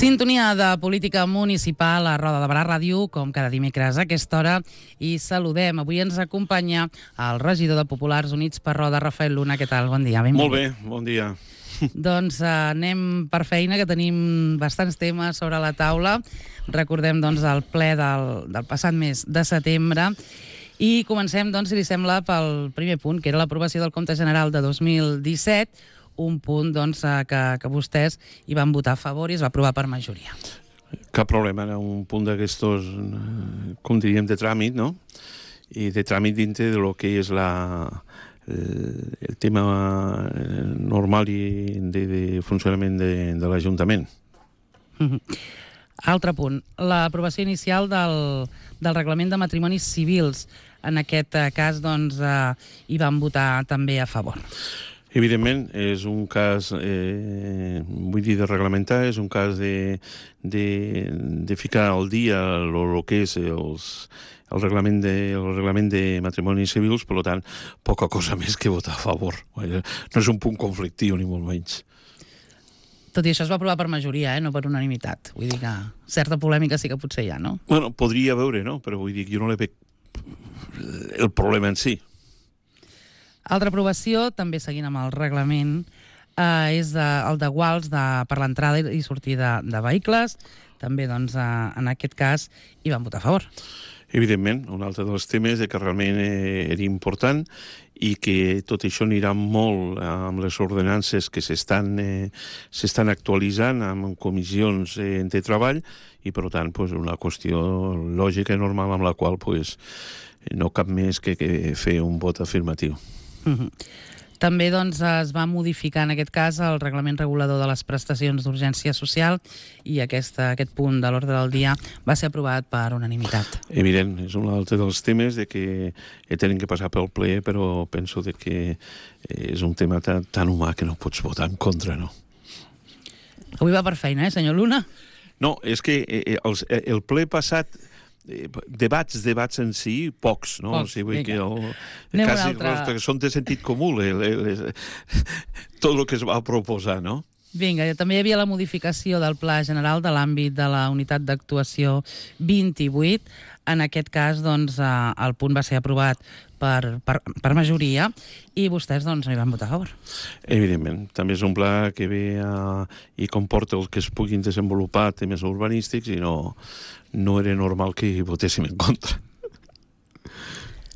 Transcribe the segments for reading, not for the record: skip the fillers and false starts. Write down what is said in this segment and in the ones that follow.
Sintonia de política municipal a Roda de Barà Ràdio, com cada dimecres a aquesta hora, i saludem. Avui ens acompanya el regidor de Populars Units per Roda, Rafael Luna. Què tal? Bon dia. Molt bé, bon dia. Doncs anem per feina, que tenim bastants temes sobre la taula. Recordem doncs, el ple del passat mes de setembre. I comencem, doncs, si li sembla, pel primer punt, que era l'aprovació del Compte General de 2017, un punt doncs, que vostès hi van votar a favor i es va aprovar per majoria. Cap problema, era un punt d'aquestos, com diríem, de tràmit, no? I de tràmit dintre de lo que és el tema normal i de funcionament de l'Ajuntament. Altre punt, l'aprovació inicial del reglament de matrimonis civils. En aquest cas, doncs, hi van votar també a favor. Evidentment, és un cas, vull dir, de reglamentar, és un cas de ficar al dia el que és el reglament de matrimonis civils, per tant, poca cosa més que votar a favor. No és un punt conflictiu, ni molt menys. Tot i això es va aprovar per majoria, no per unanimitat. Vull dir que certa polèmica sí que potser hi ha, no? Bueno, podria haver, no? Però vull dir que jo no li veig el problema en si. Altra aprovació, també seguint amb el reglament, és el de guals per l'entrada i sortida de vehicles. També, doncs, en aquest cas, hi van votar a favor. Evidentment, un altre dels temes que realment era important i que tot això anirà molt amb les ordenances que s'estan actualitzant amb comissions de treball i, per tant, una qüestió lògica i normal amb la qual no cap més que fer un vot afirmatiu. També doncs, es va modificar en aquest cas el reglament regulador de les prestacions d'urgència social i aquest punt de l'ordre del dia va ser aprovat per unanimitat. Evident, és un altre dels temes que tenen que passar pel ple, però penso que és un tema tan humà que no pots votar en contra, no? Avui va per feina, senyor Luna? No, és que el ple passat debats en si, pocs, no? Pocs, vinga. Quasi que són de sentit comú, tot el que es va proposar, no? Vinga, també hi havia la modificació del Pla General de l'àmbit de la Unitat d'Actuació 28. En aquest cas, doncs, el punt va ser aprovat per majoria i vostès doncs, no hi van votar a favor. Evidentment. També és un pla que ve i comporta el que es puguin desenvolupar temes urbanístics i no era normal que hi votéssim en contra.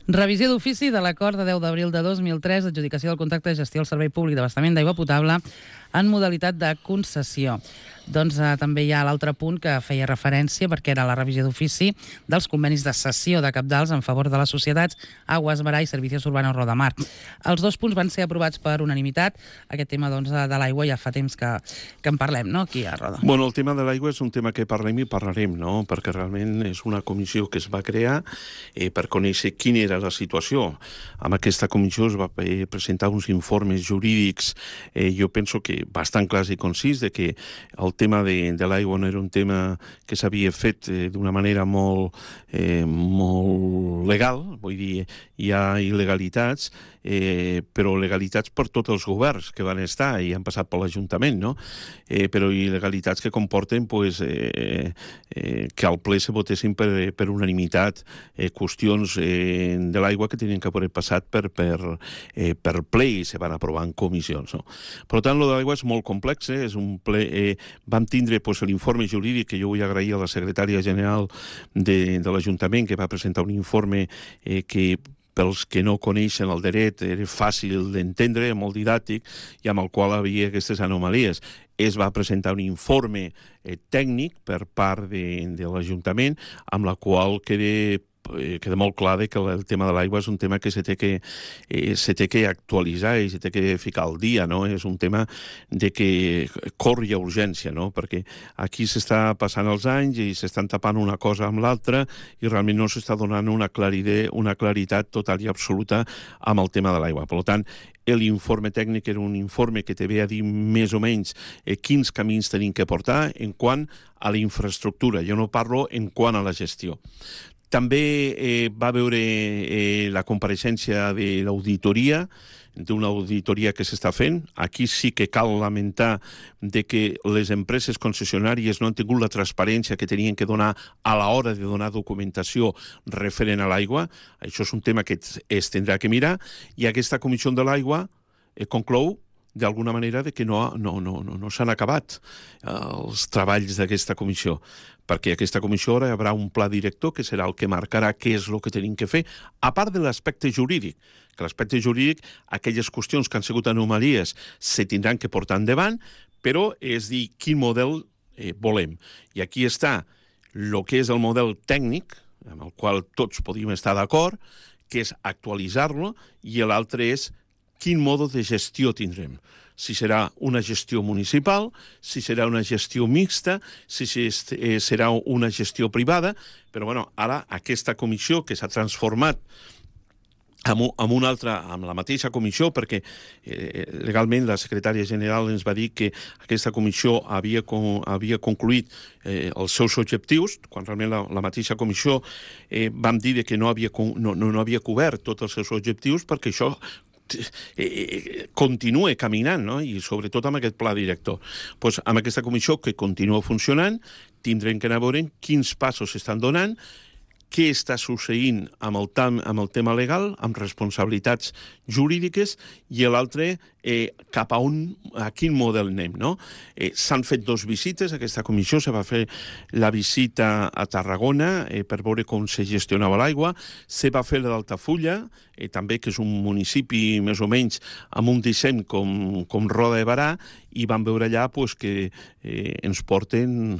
Revisió d'ofici de l'acord de 10 d'abril de 2003, adjudicació del contracte de gestió del Servei Públic d'Abastament d'Aigua Potable en modalitat de concessió. Doncs també hi ha l'altre punt que feia referència, perquè era la revisió d'ofici dels convenis de cessió de cabdals en favor de les societats Aguas Barà i Servicios Urbanos Rodamar. Els dos punts van ser aprovats per unanimitat. Aquest tema doncs, de l'aigua ja fa temps que en parlem, no?, aquí a Roda. Bueno, el tema de l'aigua és un tema que parlem i parlarem, no?, perquè realment és una comissió que es va crear per conèixer quina era la situació. Amb aquesta comissió es va presentar uns informes jurídics, jo penso que bastant clars i concís, de que el tema de l'aigua no era un tema que s'havia fet d'una manera molt legal, vull dir, hi ha il·legalitats, però legalitats per tots els governs que van estar i han passat per l'Ajuntament, no? Però il·legalitats que comporten que al ple se votessin per unanimitat qüestions de l'aigua que tenien que haver passat per ple i se van aprovar en comissions, no? Per tant, lo de l'aigua és molt complex, és un ple... Vam tindre l'informe jurídic, que jo vull agrair a la secretària general de l'Ajuntament, que va presentar un informe que pels que no coneixen el dret era fàcil d'entendre, molt didàctic, i amb el qual havia aquestes anomalies. Es va presentar un informe tècnic per part de l'Ajuntament, amb la qual queda molt clar que el tema de l'aigua és un tema que se té que actualitzar i se té que ficar al dia, no? És un tema de que corri a urgència, no? Perquè aquí s'està passant els anys i s'estan tapant una cosa amb l'altra i realment no s'està donant una claritat total i absoluta amb el tema de l'aigua. Per tant, l'informe tècnic era un informe que te ve a dir més o menys quins camins tenim que portar en quant a la infraestructura. Jo no parlo en quant a la gestió. També va veure la compareixença de l'auditoria, d'una auditoria que s'està fent. Aquí sí que cal lamentar de que les empreses concessionàries no han tingut la transparència que tenien que donar a l'hora de donar documentació referent a l'aigua. Això és un tema que es tindrà que mirar, i aquesta comissió de l'aigua conclou d'alguna manera de que no s'han acabat els treballs d'aquesta comissió, perquè aquesta comissió ara hi haurà un pla director que serà el que marcarà què és el que tenim que fer, a part de l'aspecte jurídic, que l'aspecte jurídic, aquelles qüestions que han sigut anomalies se tindran que portar endavant, però és dir, quin model volem. I aquí està el que és el model tècnic, amb el qual tots podríem estar d'acord, que és actualitzar-lo, i l'altre és quin mode de gestió tindrem. Si serà una gestió municipal, si serà una gestió mixta, si serà una gestió privada, però bueno, ara aquesta comissió que s'ha transformat amb una altra, amb la mateixa comissió, perquè legalment la secretària general ens va dir que aquesta comissió havia concluït els seus objectius, quan realment la mateixa comissió vam dir que no havia cobert tots els seus objectius, perquè això continua caminant, no? I sobretot amb aquest pla director. Pues, amb aquesta comissió que continua funcionant, tindrem que anar a veure quins passos s'estan donant, què està succeint amb el tema legal, amb responsabilitats jurídiques, i l'altre cap a quin model anem, no? S'han fet 2 visites, aquesta comissió se va fer la visita a Tarragona per veure com se gestionava l'aigua, se va fer la d'Altafulla, també, que és un municipi més o menys amb un disseny com Roda de Barà, i vam veure allà que ens porten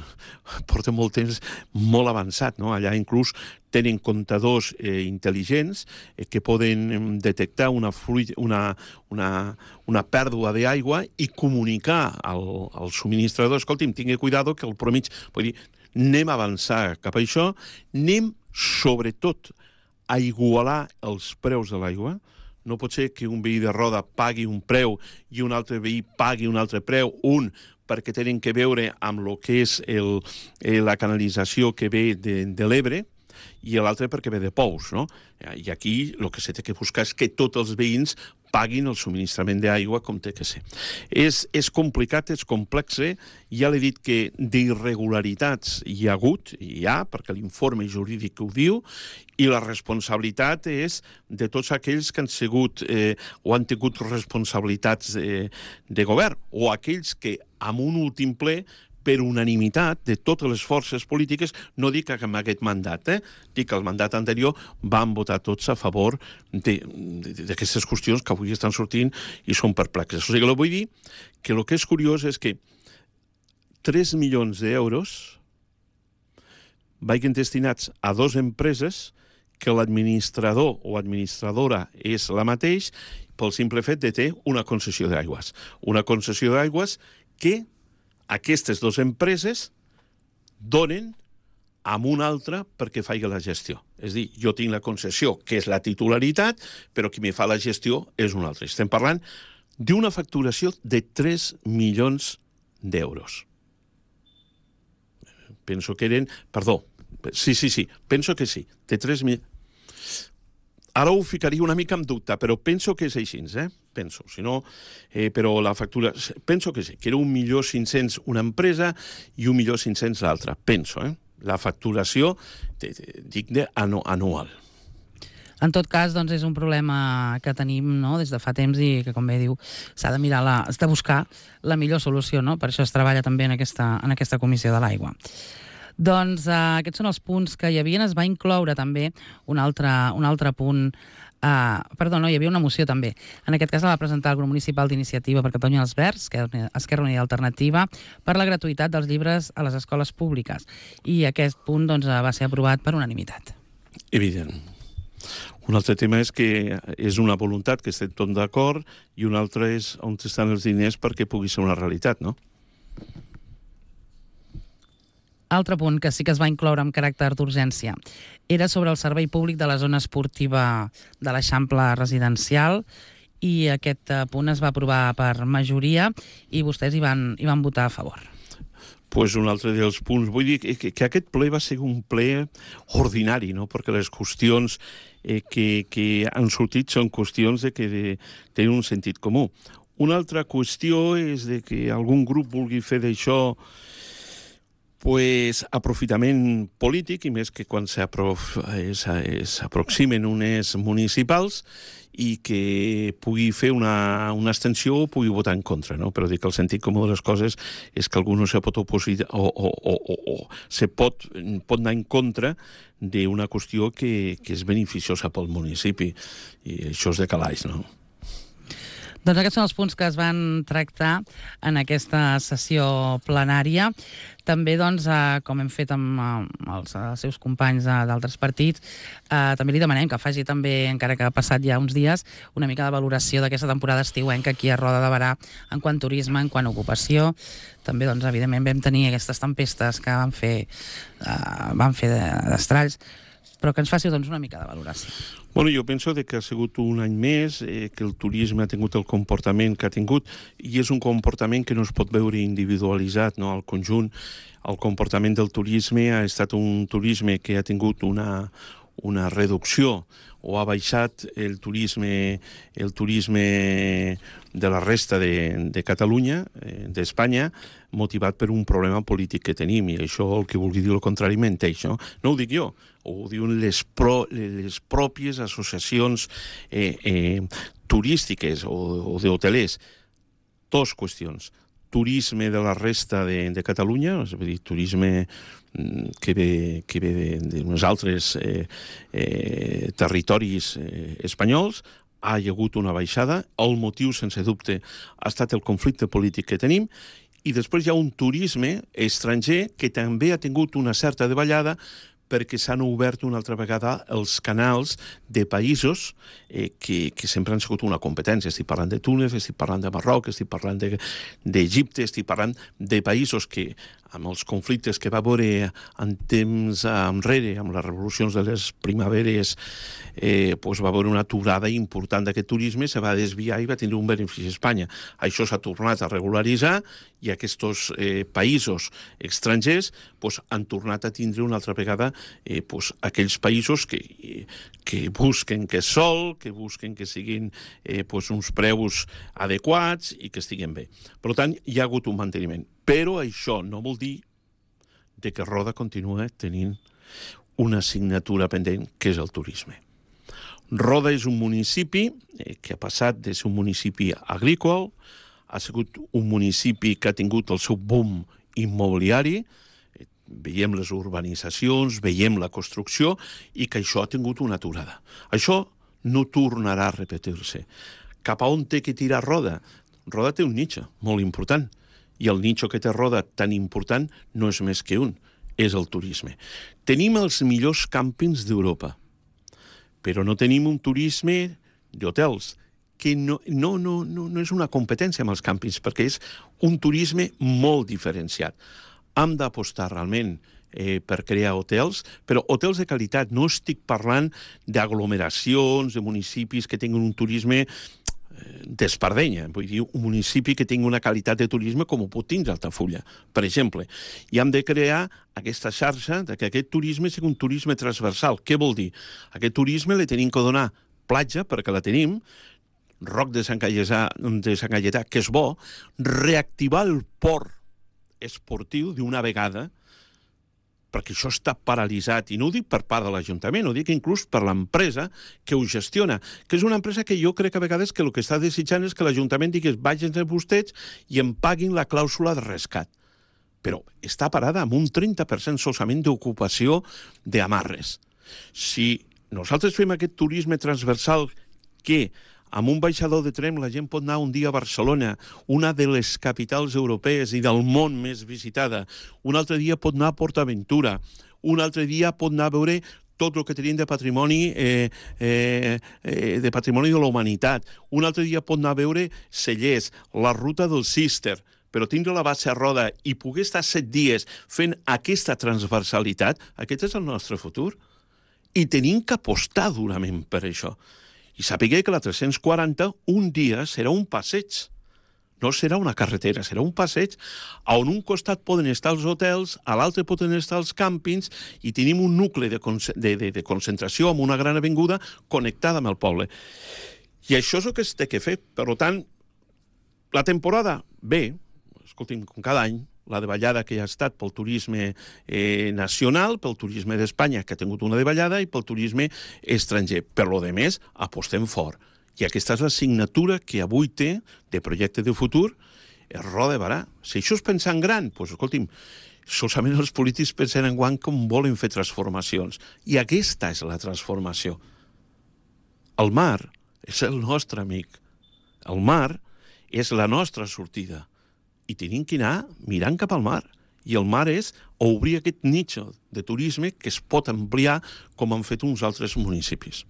molt temps molt avançat, no? Allà inclús tenen comptadors intel·ligents que poden detectar una pèrdua d'aigua i comunicar al subministrador: escolti'm, tingui cuidado que el promig... Vull dir, anem a avançar cap a això, anem sobretot a igualar els preus de l'aigua. No pot ser que un veí de Roda pagui un preu i un altre veí pagui un altre preu, perquè tenen que veure amb el que és la canalització que ve de l'Ebre, i l'altre perquè ve de Pous, no? I aquí el que s'ha de buscar és que tots els veïns paguin el subministrament d'aigua com té que ser. És complicat, és complex, ja l'he dit que d'irregularitats hi ha hagut, perquè l'informe jurídic ho diu, i la responsabilitat és de tots aquells que han sigut o han tingut responsabilitats de govern, o aquells que amb un últim ple, per unanimitat de totes les forces polítiques, no dic que amb aquest mandat, dic que el mandat anterior van votar tots a favor d'aquestes qüestions que avui estan sortint i són perplexes. O sigui, vull dir que el que és curiós és que 3 milions d'euros vagin destinats a 2 empreses que l'administrador o administradora és la mateix pel simple fet de tenir una concessió d'aigües. Una concessió d'aigües que aquestes 2 empreses donen a una altra perquè faci la gestió. És a dir, jo tinc la concessió, que és la titularitat, però qui me fa la gestió és un altre. Estem parlant d'una facturació de 3 milions d'euros. Penso que eren... Perdó. Sí, penso que sí. De 3 milions... Ara ho ficaria una mica en dubte, però penso que és així, Penso, si no... Però la factura... Penso que sí, que era 1.500.000 una empresa i 1.500.000 l'altra. Penso, La facturació, dic, anual. En tot cas, doncs, és un problema que tenim, no?, des de fa temps, i que, com bé diu, s'ha de mirar, de buscar la millor solució, no? Per això es treballa també en aquesta comissió de l'aigua. Doncs aquests són els punts que hi havia. Es va incloure també un altre punt. No, hi havia una moció també. En aquest cas la va presentar el grup municipal d'Iniciativa per Catalunya els Verds, Esquerra Unida i Alternativa, per la gratuïtat dels llibres a les escoles públiques. I aquest punt va ser aprovat per unanimitat. Evident. Un altre tema és que és una voluntat que estem tots d'acord, i un altre és on estan els diners perquè pugui ser una realitat, no? Altre punt que sí que es va incloure amb caràcter d'urgència era sobre el servei públic de la zona esportiva de l'Eixample residencial, i aquest punt es va aprovar per majoria i vostès hi van votar a favor. pues un altre dels punts. Vull dir que aquest ple va ser un ple ordinari, no? Perquè les qüestions que han sortit són qüestions que tenen un sentit comú. Una altra qüestió és de que algun grup vulgui fer d'això pues, aprofitament polític, i més que quan s'aproximen unes municipals i que pugui fer una abstenció o pugui votar en contra, no? Però dic que el sentit comú de les coses és que algú no se pot oposar o se pot anar en contra d'una qüestió que és beneficiosa pel municipi, i això és de calaix, no? Doncs aquests són els punts que es van tractar en aquesta sessió plenària. També, doncs, com hem fet amb els seus companys d'altres partits, també li demanem que faci també, encara que ha passat ja uns dies, una mica de valoració d'aquesta temporada estiuenca aquí a Roda de Berà, en quant turisme, en quant ocupació. També, doncs, evidentment, vam tenir aquestes tempestes que van fer d'estralls, però que ens faci, doncs, una mica de valoració. Bueno, jo penso que ha sigut un any més, que el turisme ha tingut el comportament que ha tingut, i és un comportament que no es pot veure individualitzat, no? Al conjunt, el comportament del turisme ha estat un turisme que ha tingut una reducció, o ha baixat el turisme de la resta de Catalunya, d'Espanya, motivat per un problema polític que tenim, i això el que vulgui dir el contrari menteix, no? No ho dic jo, ho diuen les pròpies associacions turístiques o d'hotelers. Dos qüestions. Turisme de la resta de Catalunya, és a dir, turisme que ve d'uns altres territoris espanyols, ha hi hagut una baixada. El motiu, sense dubte, ha estat el conflicte polític que tenim, i després hi ha un turisme estranger que també ha tingut una certa davallada, perquè s'han obert una altra vegada els canals de països que sempre han sigut una competència. Estic parlant de Túnez, estic parlant de Marroc, estic parlant d'Egipte, estic parlant de països que, amb els conflictes que va haver en temps enrere, amb les revolucions de les primaveres, va haver una aturada important d'aquest turisme, se va desviar i va tindre un benefici a Espanya. Això s'ha tornat a regularitzar, i aquests països estrangers han tornat a tindre una altra vegada aquells països que busquen que és sol, que busquen que siguin uns preus adequats i que estiguen bé. Per tant, hi ha hagut un manteniment. Però això no vol dir que Roda continua tenint una assignatura pendent, que és el turisme. Roda és un municipi que ha passat de ser un municipi agrícola, ha sigut un municipi que ha tingut el seu boom immobiliari, veiem les urbanitzacions, veiem la construcció, i que això ha tingut una aturada. Això no tornarà a repetir-se. Cap a on té que tirar Roda? Roda té un nicho molt important, i el nicho que té Roda tan important no és més que un, és el turisme. Tenim els millors càmpings d'Europa, però no tenim un turisme d'hotels, que no és una competència amb els càmpings, perquè és un turisme molt diferenciat. Hem d'apostar realment per crear hotels, però hotels de qualitat. No estic parlant d'aglomeracions, de municipis que tinguin un turisme d'espardenya, vull dir, un municipi que tingui una qualitat de turisme com ho pot tindre Altafulla, per exemple. I hem de crear aquesta xarxa que aquest turisme sigui un turisme transversal. Què vol dir? Aquest turisme li tenim que donar platja, perquè la tenim, Roc de Sant Gaietà, que és bo, reactivar el port esportiu d'una vegada, perquè això està paralitzat, i no ho dic per part de l'Ajuntament, ho dic inclús per l'empresa que ho gestiona, que és una empresa que jo crec que a vegades que el que està desitjant és que l'Ajuntament digui vagin vostès i em paguin la clàusula de rescat. Però està parada amb un 30% solament d'ocupació d'amarres. Si nosaltres fem aquest turisme transversal que amb un baixador de tren la gent pot anar un dia a Barcelona, una de les capitals europees i del món més visitada. Un altre dia pot anar a PortAventura. Un altre dia pot anar a veure tot el que tenim de patrimoni de la humanitat. Un altre dia pot anar a veure Cellers, la ruta del Cister. Però tindre la base a Roda i poder estar 7 dies fent aquesta transversalitat, aquest és el nostre futur. I tenim que apostar durament per això. I sapigué que la 340 un dia serà un passeig. no serà una carretera, serà un passeig on un costat poden estar els hotels, a l'altre poden estar els càmpings i tenim un nucli de concentració amb una gran avinguda connectada amb el poble. I això és el que es té que fer. Per tant, la temporada, bé, escolti'm, com cada any, la davallada que hi ha estat pel turisme nacional, pel turisme d'Espanya, que ha tingut una davallada, i pel turisme estranger. Per lo de més, apostem fort. I aquesta és la signatura que avui té de projecte de futur el Roda de Barà. Si això és pensar en gran, doncs, escolti'm, solament els polítics pensen en gran com volen fer transformacions. I aquesta és la transformació. El mar és el nostre amic. El mar és la nostra sortida. I tenim que anar mirant cap al mar. I el mar és obrir aquest nicho de turisme que es pot ampliar com han fet uns altres municipis.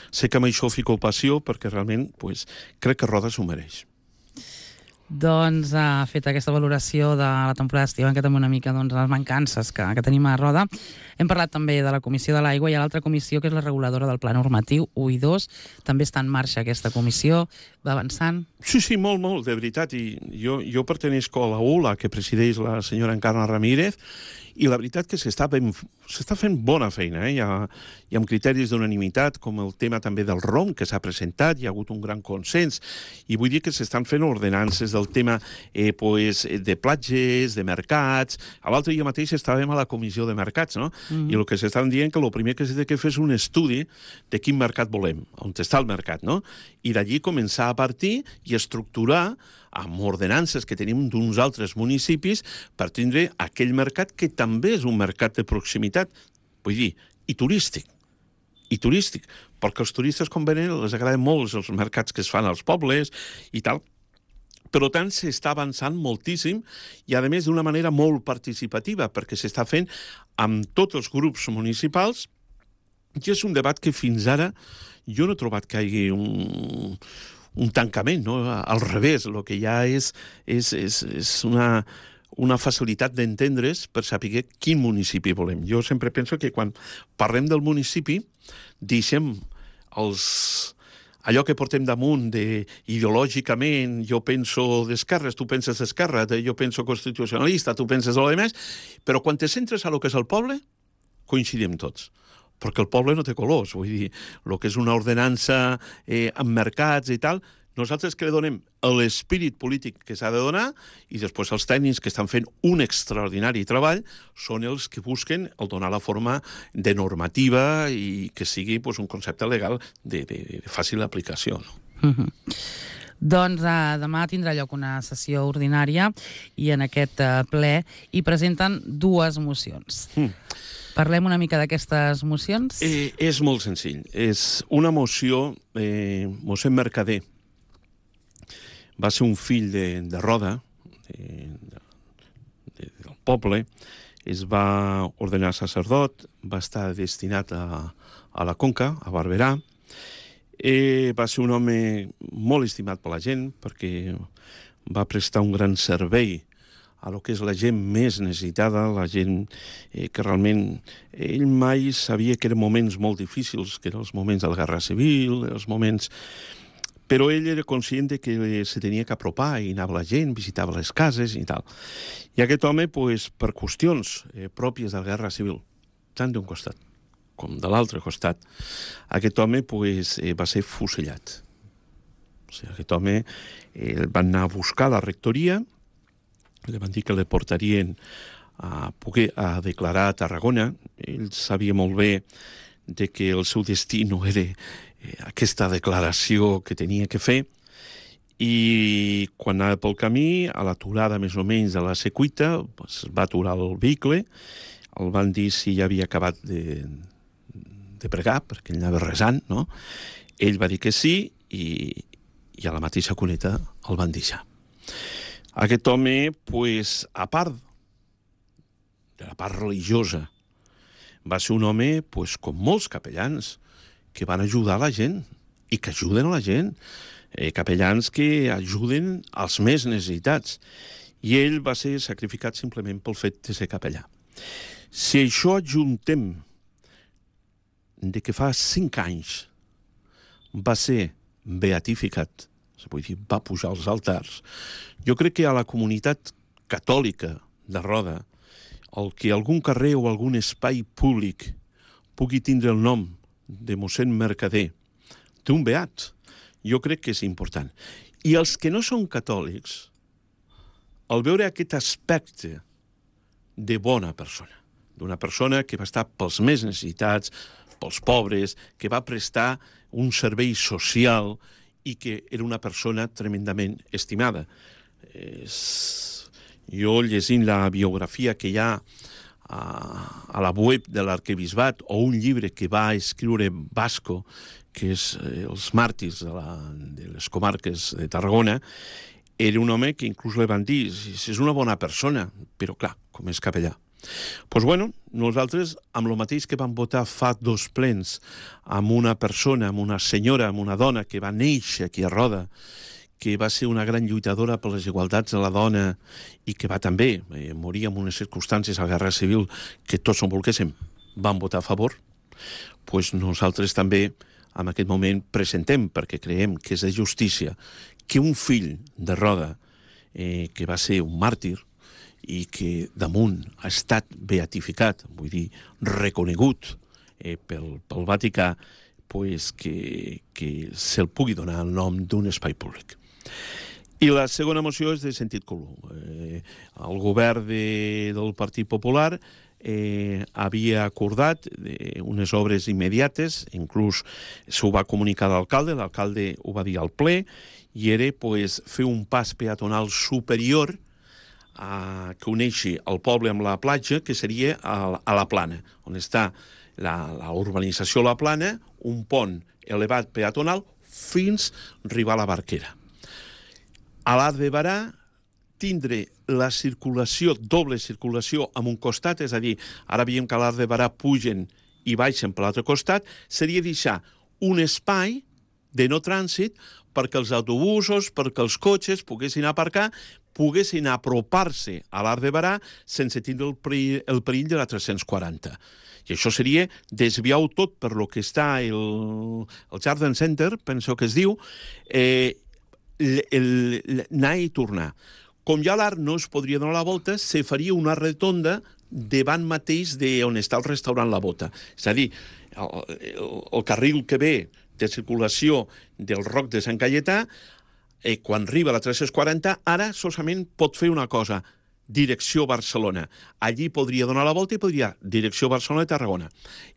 Sé que amb això fico passió perquè realment crec que Roda s'ho mereix. Doncs ha fet aquesta valoració de la temporada estiva, que també una mica les mancances que tenim a Roda. Hem parlat també de la Comissió de l'Aigua i a l'altra comissió, que és la reguladora del Pla Normatiu 1 i 2. També està en marxa aquesta comissió, va avançant. Sí, molt, de veritat. I jo pertenezco a la ULA, que presideix la senyora Encarna Ramírez, i la veritat que s'està fent bona feina, i amb criteris d'unanimitat, com el tema també del ROM, que s'ha presentat, hi ha hagut un gran consens, i vull dir que s'estan fent ordenances del tema de platges, de mercats. A l'altre dia mateix estàvem a la comissió de mercats, no? I el que s'estan dient que el primer que s'ha de fer és un estudi de quin mercat volem, on està el mercat, no? I d'allí començar a partir i estructurar amb ordenances que tenim d'uns altres municipis per tindre aquell mercat que també és un mercat de proximitat, vull dir, i turístic, perquè els turistes quan venen els agraden molt els mercats que es fan als pobles i tal. Per tant, s'està avançant moltíssim i, a més, d'una manera molt participativa, perquè s'està fent amb tots els grups municipals i és un debat que fins ara jo no he trobat que hi hagi un tancament, no? Al revés, el que hi ha és una facilitat d'entendre's per saber quin municipi volem. Jo sempre penso que quan parlem del municipi deixem allò que portem damunt ideològicament, jo penso d'esquerres, tu penses d'esquerra, jo penso constitucionalista, tu penses de l'altre, però quan te centres a lo que és el poble, coincidim tots. Perquè el poble no té colors, vull dir, el que és una ordenança amb mercats i tal, nosaltres que li donem l'espírit polític que s'ha de donar i després els tècnics que estan fent un extraordinari treball són els que busquen el donar la forma de normativa i que sigui un concepte legal de fàcil aplicació. No? Doncs demà tindrà lloc una sessió ordinària i en aquest ple hi presenten dues mocions. Parlem una mica d'aquestes mocions? És molt senzill. És una moció, mossèn Mercader va ser un fill de Roda, del poble, es va ordenar sacerdot, va estar destinat a la Conca, a Barberà, va ser un home molt estimat per la gent perquè va prestar un gran servei a lo que és la gent més necessitada, la gent que realment ell mai sabia que eren moments molt difícils, que eren els moments de la Guerra Civil, els moments... Però ell era conscient de que se tenia que apropar i anava la gent, visitava les cases i tal. I aquest home, per qüestions pròpies de la Guerra Civil, tant d'un costat com de l'altre costat, aquest home va ser fusellat. O sigui, aquest home el van anar a buscar a la rectoria, li van dir que li portarien a declarar a Tarragona. Ell sabia molt bé de que el seu destí no era aquesta declaració que tenia que fer, i quan anava pel camí, a l'aturada més o menys de la Secuita, es va aturar el vehicle, el van dir si ja havia acabat de pregar, perquè ell anava resant, no? Ell va dir que sí, i a la mateixa cuneta el van deixar. Aquest home, a part de la part religiosa, va ser un home, com molts capellans, que van ajudar la gent i que ajuden a la gent. Capellans que ajuden als més necessitats. I ell va ser sacrificat simplement pel fet de ser capellà. Si això adjuntem de que fa 5 anys va ser beatificat vull dir, va pujar als altars. Jo crec que a la comunitat catòlica de Roda, el que algun carrer o algun espai públic pugui tindre el nom de mossèn Mercader, d'un beat, jo crec que és important. I els que no són catòlics, al veure aquest aspecte de bona persona, d'una persona que va estar pels més necessitats, pels pobres, que va prestar un servei social i que era una persona tremendament estimada. Jo, llegint la biografia que hi ha a la web de l'arquebisbat o un llibre que va escriure Vasco, que és Els màrtirs de les comarques de Tarragona, era un home que inclús li van dir és una bona persona, però clar, com és capellà. Doncs bueno, nosaltres, amb el mateix que vam votar fa 2 plens amb una persona, amb una senyora, amb una dona que va néixer aquí a Roda, que va ser una gran lluitadora per les igualtats de la dona i que va també morir en unes circumstàncies a la Guerra Civil que tots en volguéssim, van votar a favor, doncs nosaltres també en aquest moment presentem, perquè creiem que és de justícia, que un fill de Roda, que va ser un màrtir i que damunt ha estat beatificat, vull dir, reconegut pel Vaticà, pues que se'l pugui donar el nom d'un espai públic. I la segona moció és de sentit comú. El govern del Partit Popular havia acordat unes obres immediates, inclús s'ho va comunicar a l'alcalde ho va dir al ple, i era fer un pas peatonal superior que uneixi el poble amb la platja, que seria a la Plana, on està la urbanització La Plana, un pont elevat peatonal fins a arribar a la Barquera. A l'Arc de Berà tindre la circulació, doble circulació amb un costat, és a dir, ara veiem que a l'Arc de Berà pugen i baixen per l'altre costat, seria deixar un espai de no trànsit perquè els autobusos, perquè els cotxes poguessin aparcar, poguessin apropar-se a l'Arc de Berà sense tindre el perill de la 340. I això seria desviar tot per lo que està el Garden Center, penso que es diu, anar i tornar. Com ja l'Arc no es podria donar la volta, se faria una rotonda davant mateix d'on està el restaurant La Bota. És a dir, el carril que ve de circulació del Roc de Sant Cayetà, quan arriba a la 340, ara solament pot fer una cosa, direcció Barcelona. Allí podria donar la volta i podria direcció Barcelona i Tarragona.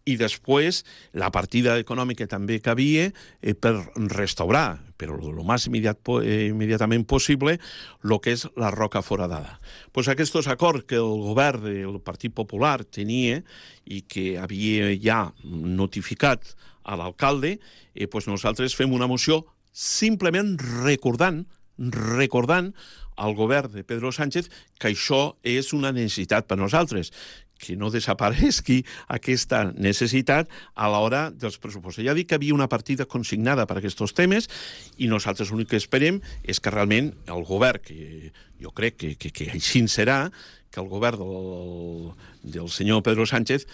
I després la partida econòmica també que havia per restaurar, però el més immediatament possible, el que és la Roca Foradada. Doncs aquests acords que el govern del Partit Popular tenia i que havia ja notificat a l'alcalde, doncs nosaltres fem una moció simplement recordant al govern de Pedro Sánchez que això és una necessitat per nosaltres, que no desapareixi aquesta necessitat a l'hora dels pressupostos. Ja dic que hi havia una partida consignada per a aquests temes i nosaltres l'únic que esperem és que realment el govern, que jo crec que així serà, que el govern del senyor Pedro Sánchez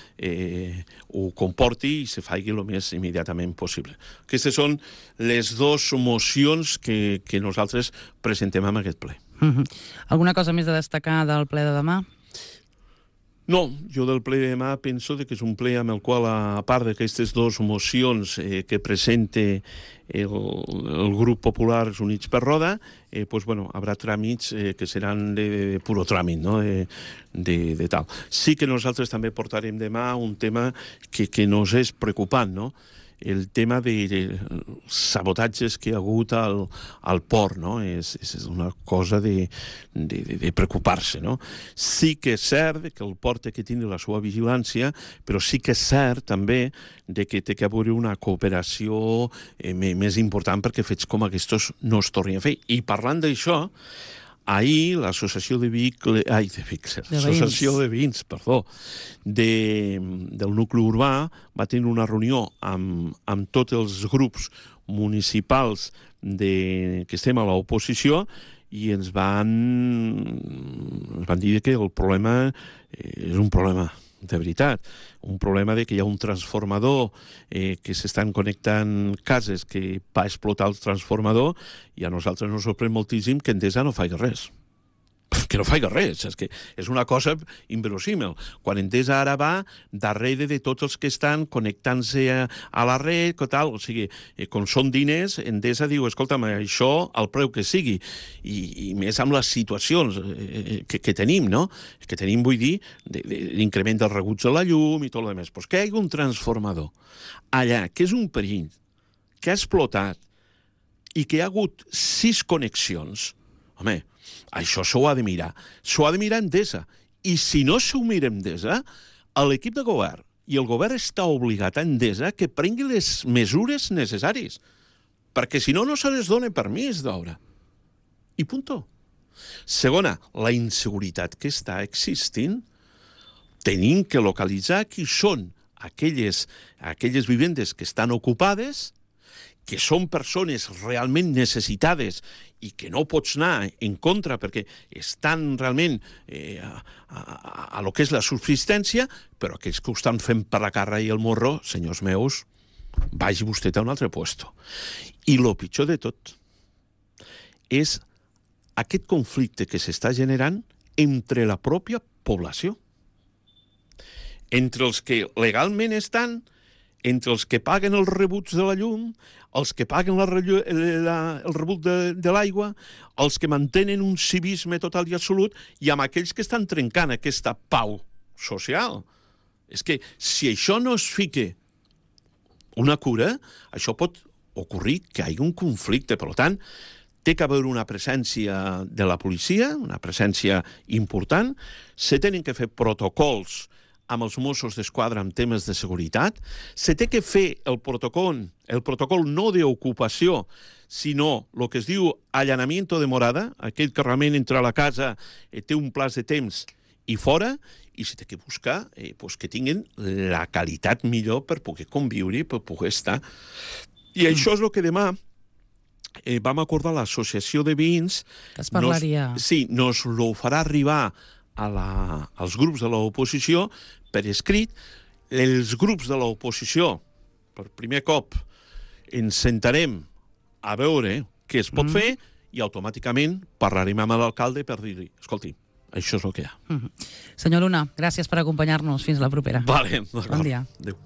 ho comporti i se faci el més immediatament possible. Aquestes són les 2 mocions que nosaltres presentem en aquest ple. Alguna cosa més de destacar del ple de demà? No, jo del ple de demà penso que és un ple amb el qual, a part d'aquestes 2 mocions que presenta el grup Popular Units per Roda, haurà tràmits que seran de puro tràmit, no? de tal. Sí que nosaltres també portarem demà un tema que nos és preocupant, no? El tema de sabotatges que hi ha hagut al port, no? És una cosa de preocupar-se, no? Sí que és cert que el port té que tindre la seva vigilància, però sí que és cert també que té que haver una cooperació més important perquè fets com aquests no es tornin a fer. I parlant d'això, ahir l'associació de veïns del nucli urbà va tenir una reunió amb tots els grups municipals que estem a l'oposició i ens van dir que el problema és un problema de veritat. Un problema de que hi ha un transformador, que s'estan connectant cases que va explotar el transformador, i a nosaltres ens sorprèn moltíssim que Endesa no faci res. Que no faci res, és que és una cosa inverosímil. Quan Endesa ara va darrere de tots els que estan connectant-se a la red, que tal, o sigui, com són diners, Endesa diu, escolta'm, això al preu que sigui, i més amb les situacions que tenim, no? Que tenim, vull dir, l'increment dels rebuts de la llum i tot el més. Pues que hi hagi un transformador allà, que és un perill, que ha explotat i que hi ha hagut 6 connexions, home, això s'ho ha de mirar. S'ho ha de mirar Endesa. I si no s'ho mira Endesa, l'equip de govern i el govern està obligat a Endesa que prengui les mesures necessàries. Perquè si no, no se les dona permís d'obra. I punto. Segona, la inseguretat que està existint. Tenim que localitzar qui són aquelles vivendes que estan ocupades, que són persones realment necessitades i que no pots anar en contra perquè estan realment a lo que és la subsistència, però aquells que ho estan fent per la carra i el morro, senyors meus, vagi vostè a un altre puesto. I el pitjor de tot és aquest conflicte que s'està generant entre la pròpia població. Entre els que legalment estan, entre els que paguen els rebuts de la llum, els que paguen el rebut de l'aigua, els que mantenen un civisme total i absolut, i amb aquells que estan trencant aquesta pau social. És que si això no es fica una cura, això pot ocorrir que hi hagi un conflicte. Per tant, té que haver una presència de la policia, una presència important, se tenen que fer protocols amb els Mossos d'Esquadra en temes de seguretat, se té que fer el protocol no d'ocupació, sinó el que es diu allanamiento de morada, aquell que realment entra a la casa, té un plaç de temps i fora, i se té que buscar que tinguin la qualitat millor per poder conviure i per poder estar. I això és el que demà vam acordar l'associació de veïns. Es parlaria. Sí, nos lo farà arribar als grups de l'oposició per escrit. Els grups de l'oposició, per primer cop, ens sentarem a veure què es pot fer i automàticament parlarem amb l'alcalde per dir-li, escolti, això és el que hi ha. Senyor Luna, gràcies per acompanyar-nos. Fins la propera. Vale, d'acord. Bon dia. Adéu.